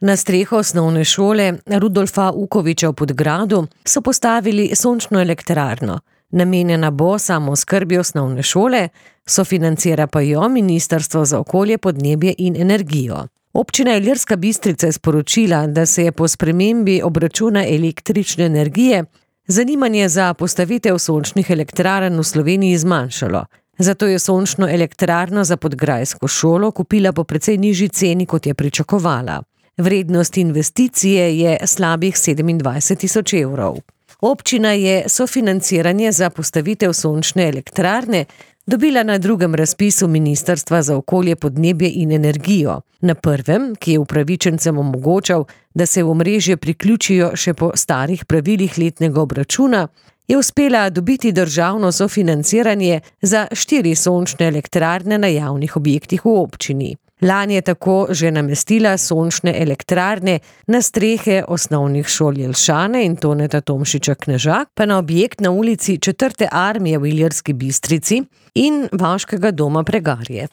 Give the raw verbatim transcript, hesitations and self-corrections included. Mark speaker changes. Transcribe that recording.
Speaker 1: Na streho osnovne šole Rudolfa Ukoviča v Podgradu so postavili sončno elektrarno. Namenjena bo samooskrbi osnovne šole, sofinancira pa jo Ministrstvo za okolje, podnebje in energijo. Občina Ilirska Bistrica je sporočila, da se je po spremembi obračuna električne energije zanimanje za postavitev sončnih elektrarn v Sloveniji zmanjšalo. Zato je sončno elektrarno za podgrajsko šolo kupila po precej nižji ceni, kot je pričakovala. Vrednost investicije je slabih sedemindvajset tisoč evrov. Občina je sofinanciranje za postavitev sončne elektrarne dobila na drugem razpisu Ministrstva za okolje, podnebje in energijo. Na prvem, ki je upravičencem omogočal, da se v omrežje priključijo še po starih pravilih letnega obračuna, je uspela dobiti državno sofinanciranje za štiri sončne elektrarne na javnih objektih v občini. Lani je tako že namestila sončne elektrarne na strehe osnovnih šol Jelšane in Toneta Tomšiča Knežak, pa na objekt na ulici Četrte armije v Ilirski Bistrici in Vaškega doma Pregarje.